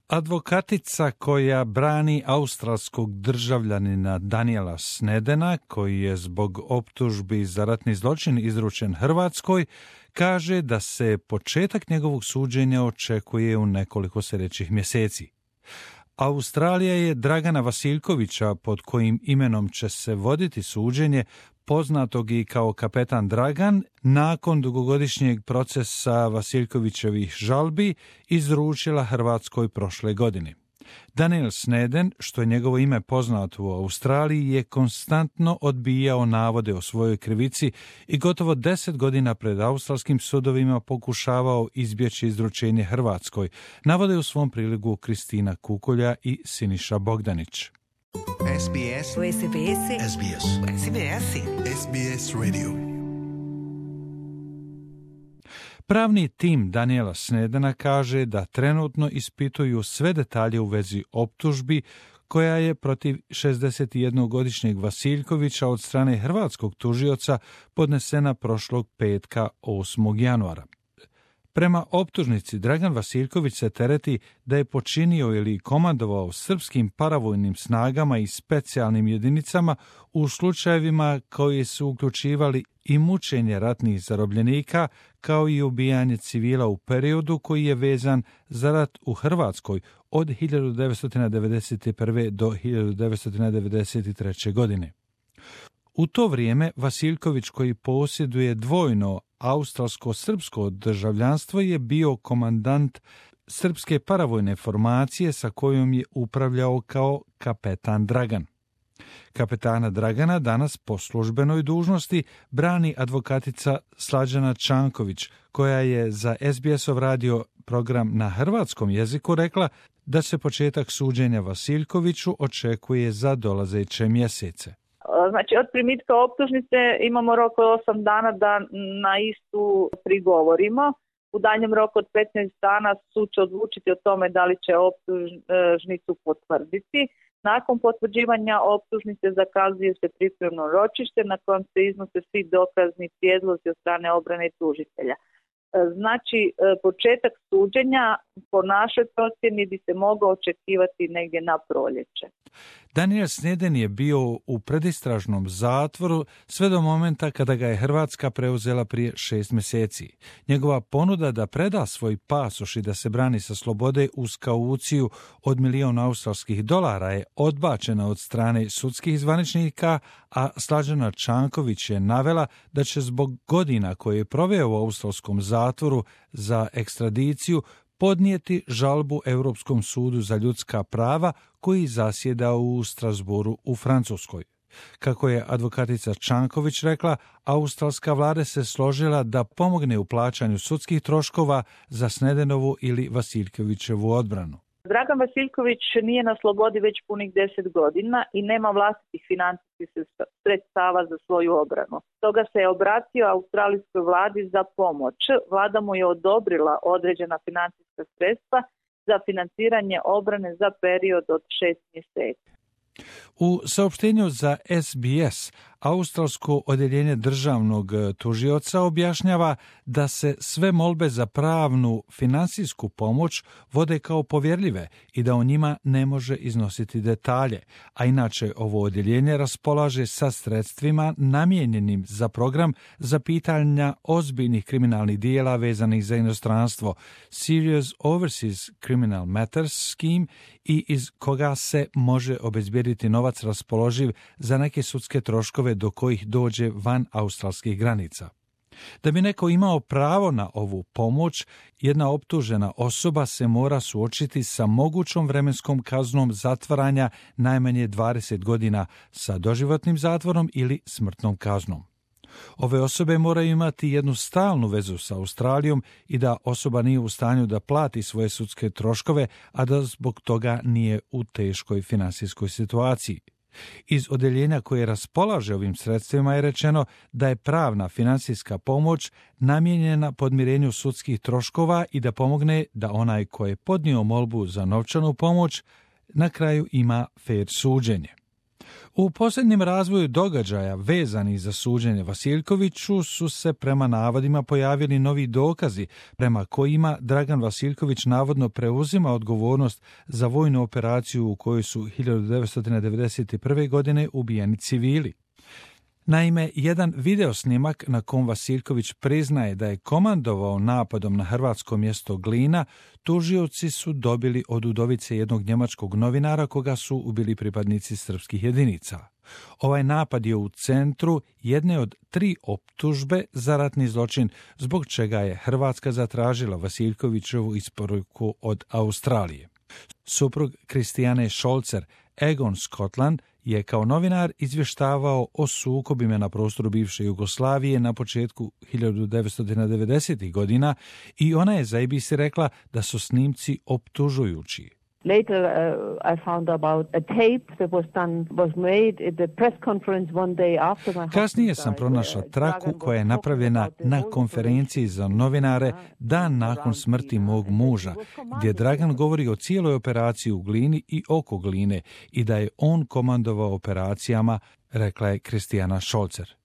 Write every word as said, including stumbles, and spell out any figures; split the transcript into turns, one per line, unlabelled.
Advokatica koja brani australskog državljanina Daniela Snedena, koji je zbog optužbi za ratni zločin izručen Hrvatskoj, kaže da se početak njegovog suđenja očekuje u nekoliko sljedećih mjeseci. Australija je Dragana Vasiljkovića, pod kojim imenom će se voditi suđenje, poznatog i kao kapetan Dragan, nakon dugogodišnjeg procesa Vasiljkovićevih žalbi, izručila Hrvatskoj prošle godine. Daniel Sneden, što je njegovo ime poznato u Australiji, je konstantno odbijao navode o svojoj krivici i gotovo deset godina pred australskim sudovima pokušavao izbjeći izručenje Hrvatskoj, navode u svom priligu Kristina Kukolja i Siniša Bogdanić.
S B S.
S B S.
S B S.
S B S.
S B S Radio.
Pravni tim Daniela Snedena kaže da trenutno ispituju sve detalje u vezi optužbi koja je protiv šezdesetjednogodišnjeg Vasiljkovića od strane hrvatskog tužioca podnesena prošlog petka osmog januara. Prema optužnici, Dragan Vasiljković se tereti da je počinio ili komandovao srpskim paravojnim snagama i specijalnim jedinicama u slučajevima koji su uključivali i mučenje ratnih zarobljenika, kao i ubijanje civila u periodu koji je vezan za rat u Hrvatskoj od hiljadu devetsto devedeset prve. do hiljadu devetsto devedeset treće. godine. U to vrijeme Vasiljković, koji posjeduje dvojno australsko-srpsko državljanstvo, je bio komandant srpske paravojne formacije sa kojom je upravljao kao kapetan Dragan. Kapetana Dragana danas po službenoj dužnosti brani advokatica Slađana Čanković, koja je za S B S-ov radio program na hrvatskom jeziku rekla da se početak suđenja Vasiljkoviću očekuje za dolazeće mjesece.
Znači, od primitka optužnice imamo rok od osam dana da na istu prigovorimo. U daljnjem roku od petnaest dana sud će odlučiti o tome da li će optužnicu potvrditi. Nakon potvrđivanja optužnice zakazuje se pripremno ročište na kojem se iznose svi dokazni prijedlozi od strane obrane i tužitelja. Znači, početak suđenja po našoj procjeni bi se mogao očekivati negdje na proljeće.
Daniel Sneden je bio u predistražnom zatvoru sve do momenta kada ga je Hrvatska preuzela prije šest mjeseci. Njegova ponuda da preda svoj pasoš i da se brani sa slobode uz kauciju od milion australskih dolara je odbačena od strane sudskih zvaničnika, a Slađana Čanković je navela da će zbog godina koje je proveo u australskom zatvoru za ekstradiciju podnijeti žalbu Europskom sudu za ljudska prava koji zasjeda u Strasbourgu u Francuskoj. Kako je advokatica Čanković rekla, australska vlada se složila da pomogne u plaćanju sudskih troškova za Snedenovu ili Vasiljkovićevu odbranu.
Dragan Vasiljković nije na slobodi već punih deset godina i nema vlastitih financijskih sredstava za svoju obranu. Stoga se je obratio australijskoj vladi za pomoć. Vlada mu je odobrila određena financijska sredstva za financiranje obrane za period od šest mjeseci.
U saopštenju za S B S australsko odjeljenje državnog tužioca objašnjava da se sve molbe za pravnu finansijsku pomoć vode kao povjerljive i da o njima ne može iznositi detalje, a inače ovo odjeljenje raspolaže sa sredstvima namijenjenim za program za pitanja ozbiljnih kriminalnih dijela vezanih za inostranstvo Serious Overseas Criminal Matters Scheme i iz koga se može obezbijediti novac raspoloživ za neke sudske troškove do kojih dođe van australskih granica. Da bi neko imao pravo na ovu pomoć, jedna optužena osoba se mora suočiti sa mogućom vremenskom kaznom zatvaranja najmanje dvadeset godina sa doživotnim zatvorom ili smrtnom kaznom. Ove osobe moraju imati jednu stalnu vezu sa Australijom i da osoba nije u stanju da plati svoje sudske troškove, a da zbog toga nije u teškoj finansijskoj situaciji. Iz odjeljenja koje raspolaže ovim sredstvima je rečeno da je pravna finansijska pomoć namijenjena podmirenju sudskih troškova i da pomogne da onaj ko je podnio molbu za novčanu pomoć na kraju ima fer suđenje. U posljednjem razvoju događaja vezani za suđenje Vasiljkoviću su se prema navodima pojavili novi dokazi prema kojima Dragan Vasiljković navodno preuzima odgovornost za vojnu operaciju u kojoj su hiljadu devetsto devedeset prve. godine ubijeni civili. Naime, jedan videosnimak na kom Vasiljković priznaje da je komandovao napadom na hrvatsko mjesto Glina, tužioci su dobili od udovice jednog njemačkog novinara koga su ubili pripadnici srpskih jedinica. Ovaj napad je u centru jedne od tri optužbe za ratni zločin, zbog čega je Hrvatska zatražila Vasiljkovićevu isporuku od Australije. Suprug Kristijane Šolcer, Egon Scotland, je kao novinar izvještavao o sukobima na prostoru bivše Jugoslavije na početku hiljadu devetsto devedesetih. godina i ona je za A B C rekla da su snimci optužujući.
Later, uh, I found about a tape that was done was made at the press conference one day after my
Kasnije sam pronašla traku koja je napravljena na konferenciji za novinare dan nakon smrti mog muža, gdje Dragan govori o cijeloj operaciji u Glini i oko Gline i da je on komandovao operacijama, rekla je Kristijana Šolcer.